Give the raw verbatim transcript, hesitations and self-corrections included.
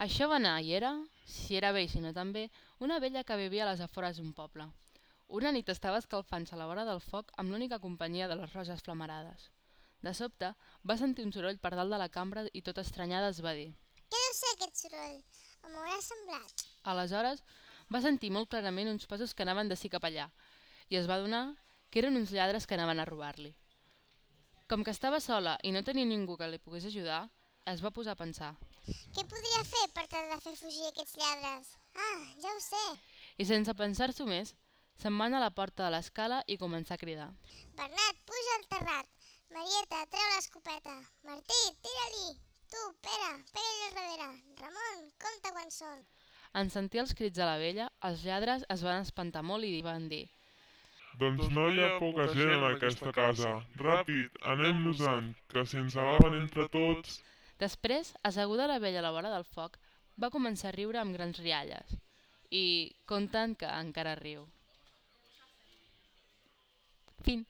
Això va anar i era, si era bé i si no també, una vella que vivia a les afores d'un poble. Una nit estava escalfant-se a la vora del foc amb l'única companyia de les roses flamarades. De sobte, va sentir un soroll per dalt de la cambra i tot estranyada es va dir. Què deu ser aquest soroll? Em haurà semblat. Aleshores, va sentir molt clarament uns passos que anaven d'ací cap allà i es va adonar que eren uns lladres que anaven a robar-li. Com que estava sola i no tenia ningú que li pogués ajudar, es va posar a pensar. Què podria fer per tal de fer fugir aquests lladres? Ah, ja ho sé. I sense pensar-s'ho més, se'n va anar a la porta de l'escala i començà a cridar. Bernat, puja al terrat. Marieta, treu l'escopeta. Martí, tira-li. Tu, Pere, pega-li al darrere. Ramon, compta quan són. En sentir els crits de la vella, els lladres es van espantar molt i van dir. Doncs no hi ha poca gent en aquesta casa. Ràpid, anem-nos-en, que si ens agafen entre tots... Després, asseguda la vella a la vora del foc, va començar a riure amb grans rialles. I conten que encara riu. Fin.